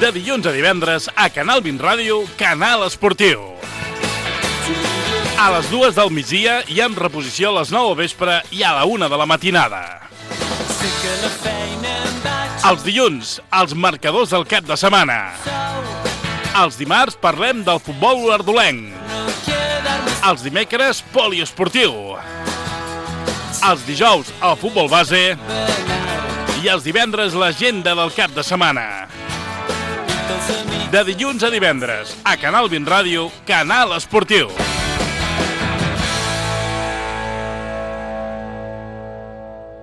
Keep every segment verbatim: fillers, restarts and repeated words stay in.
de dilluns a divendres a Canal vint Ràdio, Canal Esportiu. A les dues del migdia i amb reposició a les nou al vespre i a la una de la matinada. Els dilluns, els marcadors del cap de setmana. Els dimarts parlem del futbol olordolenc. Els dimecres, poliesportiu. Els dijous, el futbol base. I els divendres, l'agenda del cap de setmana. De dilluns a divendres, a Canal vint Ràdio, Canal Esportiu.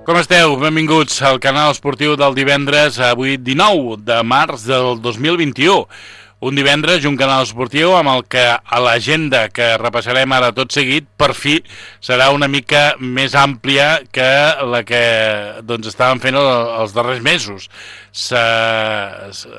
Com esteu? Benvinguts al Canal Esportiu del divendres, avui dinou de març del dos mil vint-i-u. Un divendres i un canal esportiu amb el que a l'agenda que repassarem ara tot seguit, per fi, serà una mica més àmplia que la que doncs, estàvem fent els darrers mesos. Se...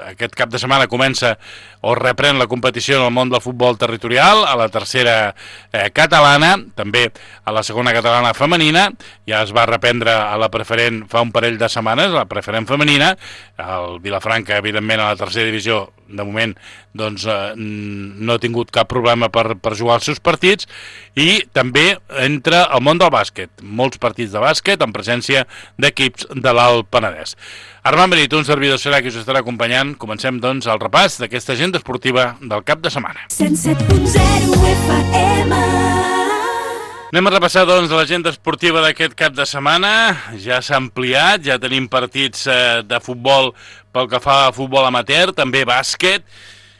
Aquest cap de setmana comença o reprèn la competició en el món del futbol territorial, a la tercera eh, catalana, també a la segona catalana femenina, ja es va reprendre a la preferent fa un parell de setmanes, la preferent femenina, el Vilafranca, evidentment, a la tercera divisió, de moment, doncs, eh, no ha tingut cap problema per, per jugar els seus partits, i també entra el món del bàsquet, molts partits de bàsquet en presència d'equips de l'Alt Penedès. Armand Benito, un servidor serà qui us estarà acompanyant. Comencem, doncs, el repàs d'aquesta agenda esportiva del cap de setmana. cent set punt zero F M. Anem a repassar, doncs, l'agenda esportiva d'aquest cap de setmana. Ja s'ha ampliat, ja tenim partits eh, de futbol pel que fa a futbol amateur, també bàsquet.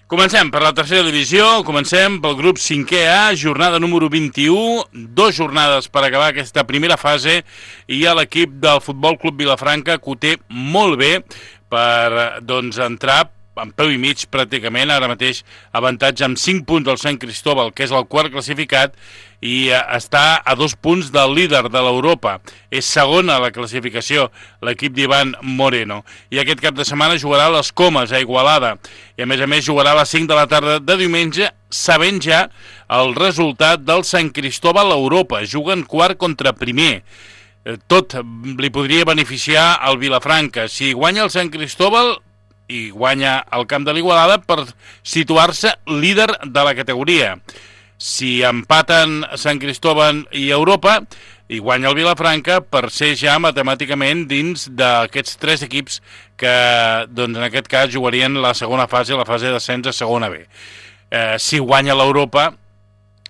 Comencem per la tercera divisió, comencem pel grup cinquè A, jornada número vint-i-u, dos jornades per acabar aquesta primera fase, i a l'equip del Futbol Club Vilafranca, que ho té molt bé per doncs, entrar en peu i mig pràcticament, ara mateix avantatge amb cinc punts del Sant Cristóbal, que és el quart classificat, i està a dos punts del líder de l'Europa. És segon a la classificació l'equip d'Ivan Moreno. I aquest cap de setmana jugarà a les Comes, a Igualada. I a més a més jugarà a les cinc de la tarda de diumenge, sabent ja el resultat del Sant Cristóbal a Europa. Juguen quart contra primer. Tot li podria beneficiar al Vilafranca. Si guanya el Sant Cristóbal i guanya el camp de l'Igualada per situar-se líder de la categoria. Si empaten Sant Cristóbal i Europa i guanya el Vilafranca per ser ja matemàticament dins d'aquests tres equips que doncs, en aquest cas jugarien la segona fase, la fase d'ascens a segona B. Eh, si guanya l'Europa,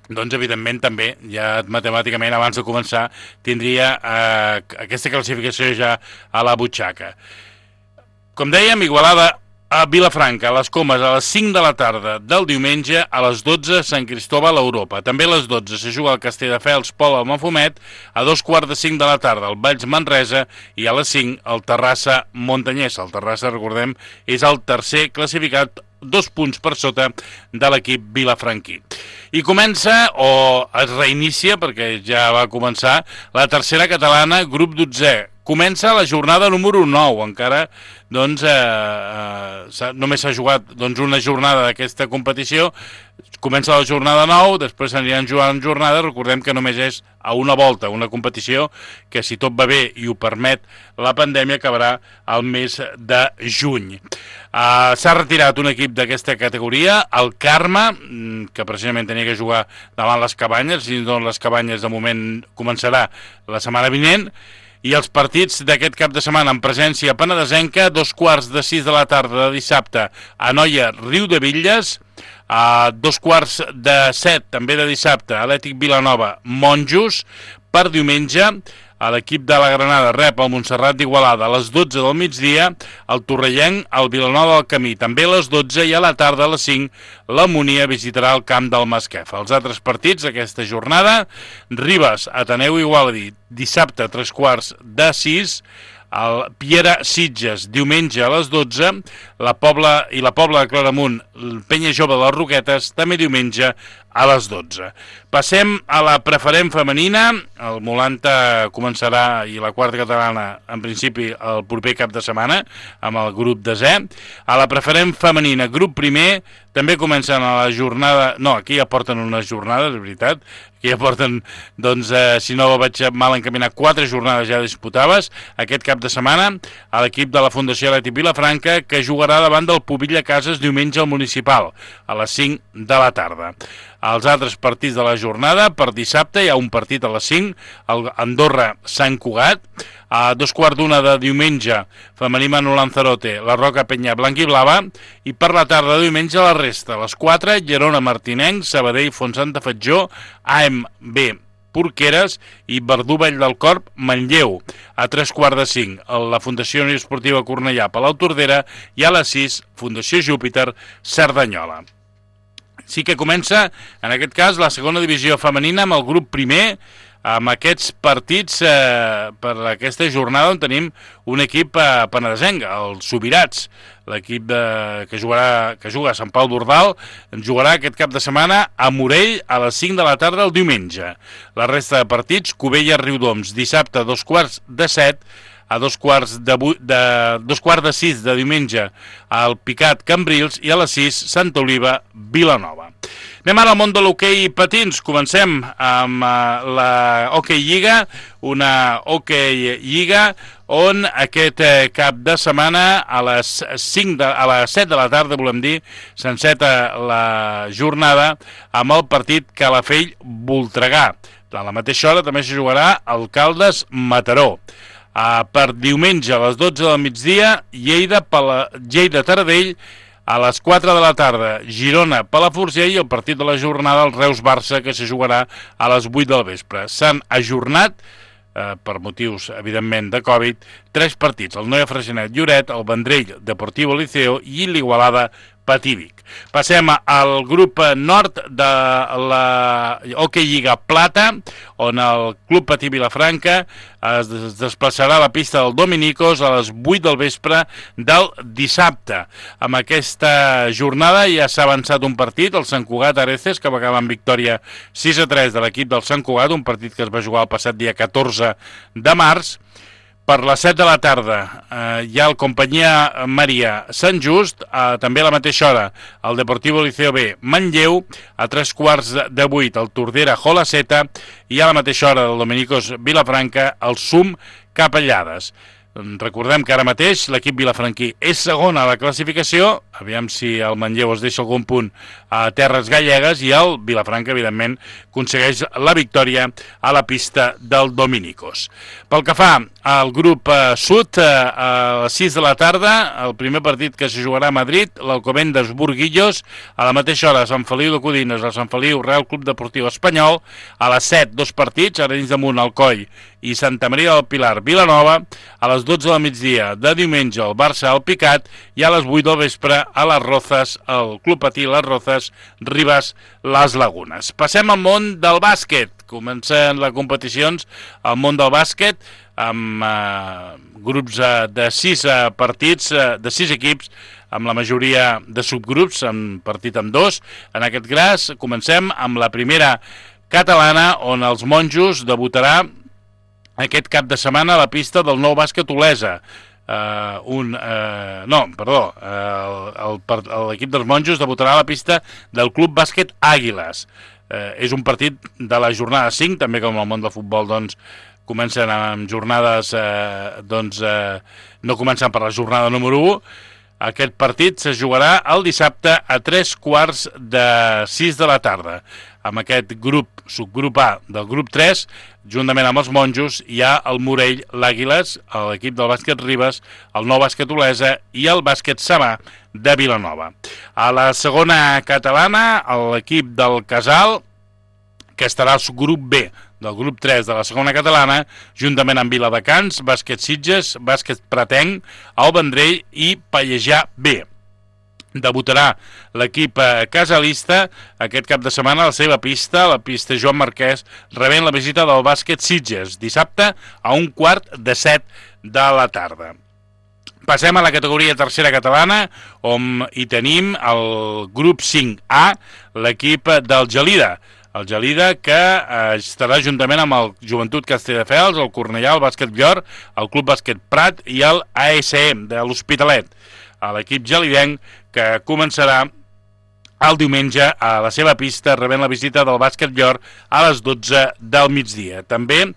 doncs evidentment també, ja matemàticament abans de començar, tindria eh, aquesta classificació ja a la butxaca. Com dèiem, Igualada a Vilafranca, a les Comes, a les cinc de la tarda del diumenge, a les dotze, Sant Cristóbal a Europa. També a les dotze se juga el Castelldefels Pol al Mafumet, a dos quarts de cinc de la tarda el Valls Manresa i a les cinc el Terrassa Montanyès. El Terrassa, recordem, és el tercer classificat, dos punts per sota de l'equip vilafranquí. I comença, o es reinicia, perquè ja va començar, la tercera catalana, grup dotzè. Comença la jornada número nou, encara doncs, eh, eh, només s'ha jugat doncs, una jornada d'aquesta competició, comença la jornada nou, després s'aniran jugant jornades, recordem que només és a una volta, una competició que si tot va bé i ho permet la pandèmia acabarà al mes de juny. Uh, s'ha retirat un equip d'aquesta categoria, el Carme, que precisament tenia que jugar davant les Cabanyes, i doncs les Cabanyes de moment començarà la setmana vinent. I els partits d'aquest cap de setmana en presència penedesenca, dos quarts de sis de la tarda de dissabte a Noia, Riu de Villes, a dos quarts de set també de dissabte Atlètic Vilanova, Monjos, per diumenge a l'equip de la Granada rep el Montserrat d'Igualada a les dotze del migdia, el Torrellenc al Vilanova del Camí també a les dotze, i a la tarda a les cinc la Monia visitarà el camp del Masquef. Els altres partits d'aquesta jornada: Ribes, Ateneu Igualadi, dissabte a tres quarts de sis, el Piera Sitges diumenge a les dotze, la Pobla i la Pobla de Claramunt, el Penya Jove de les Roquetes també diumenge a les dotze. Passem a la preferent femenina. El Molanta començarà, i la quarta catalana, en principi, el proper cap de setmana, amb el grup desè. A la preferent femenina, grup primer, també comencen a la jornada... No, aquí ja porten unes jornades, és veritat. Aquí ja porten, doncs, eh, si no vaig mal encaminar, quatre jornades ja disputades aquest cap de setmana a l'equip de la Fundació Atlètic Vilafranca, que jugarà davant del Pubilla Cases diumenge al Municipal, a les cinc de la tarda. Els altres partits de la jornada, per dissabte hi ha un partit a les cinc, el Andorra-Sant Cugat, a dos quarts d'una de diumenge, femení Manu Lanzarote, la Roca Penya Blanc i Blava, i per la tarda de diumenge la resta, a les quatre, Gerona Martinenc, Sabadell Fontsanta Fatjó, A M B Porqueres i Verdú Vall del Corp Manlleu. A tres quarts de cinc, la Fundació Unió Esportiva Cornellà Palau Tordera, i a les sis, Fundació Júpiter Cerdanyola. Sí que comença, en aquest cas, la segona divisió femenina amb el grup primer, amb aquests partits eh, per aquesta jornada on tenim un equip eh, penedesenc, els Subirats, l'equip que jugarà que juga a Sant Pau d'Ordal, jugarà aquest cap de setmana a Morell a les cinc de la tarda el diumenge. La resta de partits, Cubella Riudoms, dissabte a dos quarts de set, a dos quarts de, de, dos quarts de sis de diumenge al Picat Cambrils i a les sis Santa Oliva Vilanova. Anem ara al món de l'hoquei patins. Comencem amb uh, la Hockey Lliga, una Hockey Lliga on aquest eh, cap de setmana a les, cinc de, a les set de la tarda, volem dir, s'enceta la jornada amb el partit Calafell-Voltregà. A la mateixa hora també se jugarà Alcaldes-Mataró. Uh, per diumenge a les dotze del migdia, Lleida, Pala... Lleida Taradell, a les quatre de la tarda, Girona, Palafrugell, i el partit de la jornada, el Reus-Barça, que se jugarà a les vuit del vespre. S'han ajornat, eh, per motius, evidentment, de Covid, tres partits, el Noia Freixenet Lloret, el Vendrell Deportivo Liceo i l'Igualada Patívic. Passem al grup nord de la Hockey Lliga Plata, on el Club Patí Vilafranca es desplaçarà a la pista del Dominicos a les vuit del vespre del dissabte. Amb aquesta jornada ja s'ha avançat un partit, el Sant Cugat Areces, que va acabar amb victòria sis a tres de l'equip del Sant Cugat, un partit que es va jugar el passat dia catorze de març. Per les set de la tarda eh, hi ha el Companyia Maria Sant Just, eh, també a la mateixa hora el Deportivo Liceo B Manlleu, a tres quarts de vuit el Tordera Jolaceta i a la mateixa hora del Dominicos Vilafranca el Sum Capellades. Recordem que ara mateix l'equip vilafranquí és segon a la classificació, aviam si el Manlleu es deixa algun punt a terres gallegues, i el Vilafranca, evidentment, aconsegueix la victòria a la pista del Dominicos. Pel que fa al grup eh, sud, eh, a les sis de la tarda, el primer partit que se jugarà a Madrid, l'Alcobendas Burguillos, a la mateixa hora Sant Feliu de Codines, el Sant Feliu Real Club Deportiu Espanyol, a les set, dos partits, Arenys de Munt, Alcoi i Santa Maria del Pilar Vilanova, a les dotze del migdia de diumenge el Barça al Picat, i a les vuit del vespre a les Rozas, el Club Patí Les Rozas, Ribas Les Lagunes. Passem al món del bàsquet. Comencen les competicions al món del bàsquet amb eh, grups eh, de sis eh, partits, eh, de sis equips, amb la majoria de subgrups, amb partit amb dos. En aquest cas comencem amb la primera catalana, on els monjos debutarà aquest cap de setmana a la pista del Nou Bàsquet Olesa. Uh, un, uh, no, perdó, uh, l'equip dels monjos debutarà a la pista del Club Bàsquet Àguiles. Uh, és un partit de la jornada cinc, també com el món del futbol, doncs, comencen amb jornades, uh, doncs, uh, no comencen per la jornada número u. Aquest partit se jugarà el dissabte a tres quarts de sis de la tarda. Amb aquest grup, subgrup A del grup tres, juntament amb els monjos, hi ha el Morell, l'Àguiles, l'equip del bàsquet Ribes, el Nou Bàsquet Olesa i el bàsquet Samà de Vilanova. A la segona catalana, l'equip del Casal, que estarà al subgrup B del grup tres de la segona catalana, juntament amb Viladecans, bàsquet Sitges, bàsquet Pratenc, el Vendrell i Pallejà B. Debutarà l'equip casalista aquest cap de setmana a la seva pista, la pista Joan Marquès, rebent la visita del bàsquet Sitges, dissabte a un quart de set de la tarda. Passem a la categoria tercera catalana, on hi tenim el grup cinc A, l'equip del Gelida. El Gelida que eh, estarà juntament amb el Joventut Castelldefels, el Cornellà, el Bàsquet Llor, el Club Bàsquet Prat i el A S M de l'Hospitalet. L'equip gelidenc que començarà el diumenge a la seva pista rebent la visita del Bàsquet Llor a les dotze del migdia. També eh,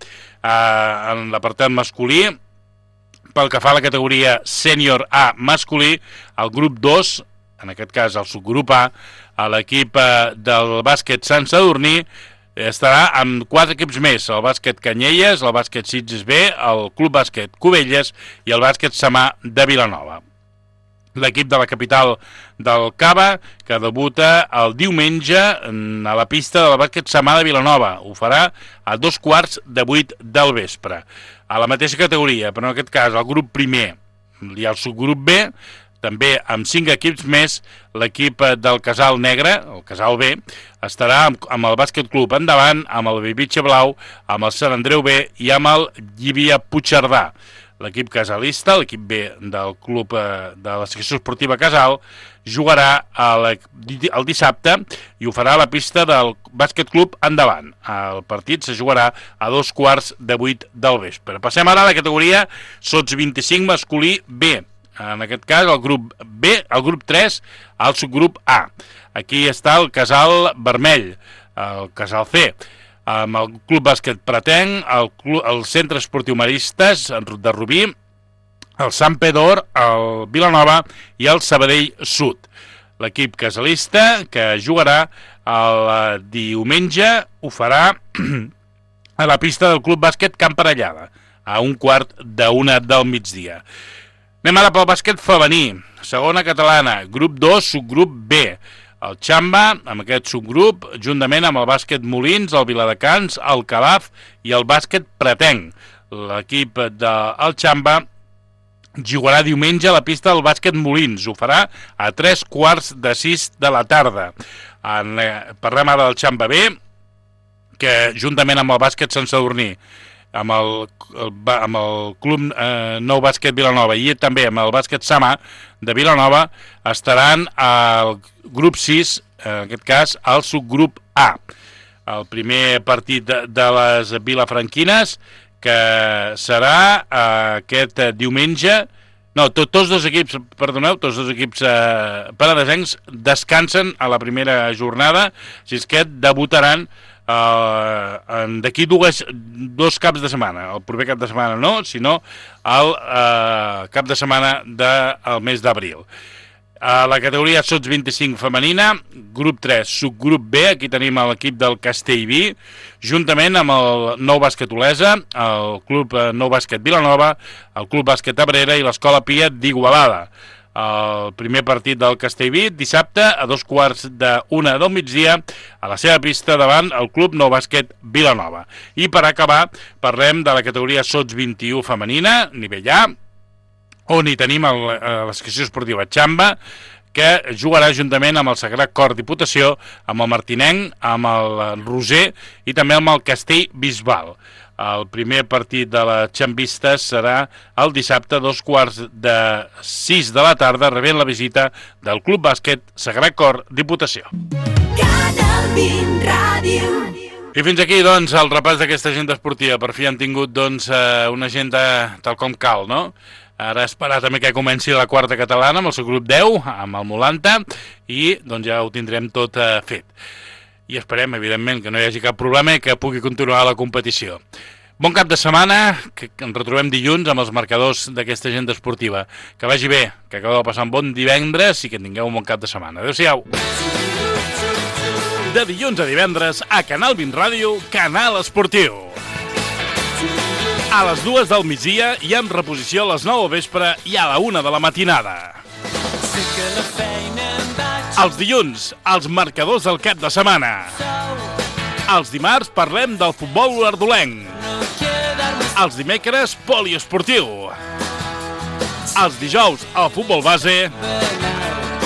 en l'apartat masculí, pel que fa a la categoria sènior A masculí, el grup dos, en aquest cas el subgrup A, a l'equip del bàsquet Sant Sadurní, estarà amb quatre equips més, el bàsquet Canyelles, el bàsquet Sitges B, el club bàsquet Cubelles i el bàsquet Samà de Vilanova. L'equip de la capital del Cava, que debuta el diumenge a la pista del bàsquet Samà de Vilanova. Ho farà a dos quarts de vuit del vespre. A la mateixa categoria, però en aquest cas el grup primer i el subgrup B, també amb cinc equips més, l'equip del Casal Negre, el Casal B, estarà amb, amb el Bàsquet Club Endavant, amb el Bibitxe Blau, amb el Sant Andreu B i amb el Llívia Puigcerdà. L'equip casalista, l'equip B del club eh, de la secció esportiva Casal, jugarà el, el dissabte i ho farà a la pista del Bàsquet Club Endavant. El partit se jugarà a dos quarts de vuit del vespre. Passem ara a la categoria sots vint-i-cinc masculí B. En aquest cas, el grup B, el grup tres, el subgrup A. Aquí està el Casal Vermell, el Casal C, amb el Club Bàsquet Pratenc, el, club, el Centre Esportiu Maristes de Rubí, el Sant Pedor, el Vilanova i el Sabadell Sud. L'equip casalista que jugarà el diumenge ho farà a la pista del Club Bàsquet Camp Parellada, a un quart d'una del migdia. Anem ara pel bàsquet femení, segona catalana, grup dos, subgrup B. El Xamba, amb aquest subgrup, juntament amb el bàsquet Molins, el Viladecans, el Calaf i el bàsquet Pratenc. L'equip del Xamba jugarà diumenge a la pista del bàsquet Molins. Ho farà a tres quarts de sis de la tarda. En, eh, parlem ara del Xamba B, que juntament amb el bàsquet Sant Sadurní, amb el, el, amb el club eh, Nou Bàsquet Vilanova i també amb el bàsquet Samà de Vilanova estaran al grup sis, en aquest cas al subgrup A. El primer partit de, de les vilafranquines que serà eh, aquest diumenge. No, to, tots dos equips, perdoneu, tots dos equips eh, penedesencs descansen a la primera jornada, així és que debutaran Uh, d'aquí dues, dos caps de setmana. El proper cap de setmana no, sinó el uh, cap de setmana del mes d'abril. A la categoria sots vint-i-cinc femenina, grup tres, subgrup B, aquí tenim l'equip del Castellví, juntament amb el Nou Bàsquet Olesa, el club Nou Bàsquet Vilanova, el club Bàsquet Abrera i l'Escola Pia d'Igualada. El primer partit del Castellví dissabte a dos quarts d'una del migdia a la seva pista davant el club Nou Bàsquet Vilanova. I per acabar parlem de la categoria sots vint-i-u femenina, nivell A, on hi tenim el, la secció esportiva Xamba, que jugarà juntament amb el Sagrat Cor Diputació, amb el Martinenc, amb el Roser i també amb el Castell Bisbal. El primer partit de les xambistes serà el dissabte a dos quarts de sis de la tarda, rebent la visita del Club Bàsquet Sagrat Cor Diputació. Canal vint Ràdio. I fins aquí, doncs, el repàs d'aquesta agenda esportiva. Per fi han tingut, doncs, una agenda tal com cal, no? Ara esperar també que comenci la quarta catalana amb el seu grup deu, amb el Molanta, i doncs ja ho tindrem tot eh, fet. I esperem, evidentment, que no hi hagi cap problema i que pugui continuar la competició. Bon cap de setmana, que ens retrobem dilluns amb els marcadors d'aquesta agenda esportiva. Que vagi bé, que acabeu de passar un bon divendres i que tingueu un bon cap de setmana. Adéu-siau. De dilluns a divendres, a Canal vint Ràdio, Canal Esportiu. A les dues del migdia i amb reposició a les nou del vespre i a la una de la matinada. Els dilluns, els marcadors del cap de setmana. Els dimarts parlem del futbol ardolenc. Els dimecres, poliesportiu. Els dijous, el futbol base.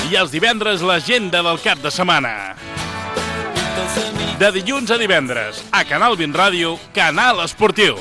I els divendres, l'agenda del cap de setmana. De dilluns a divendres, a Canal vint Ràdio, Canal Esportiu.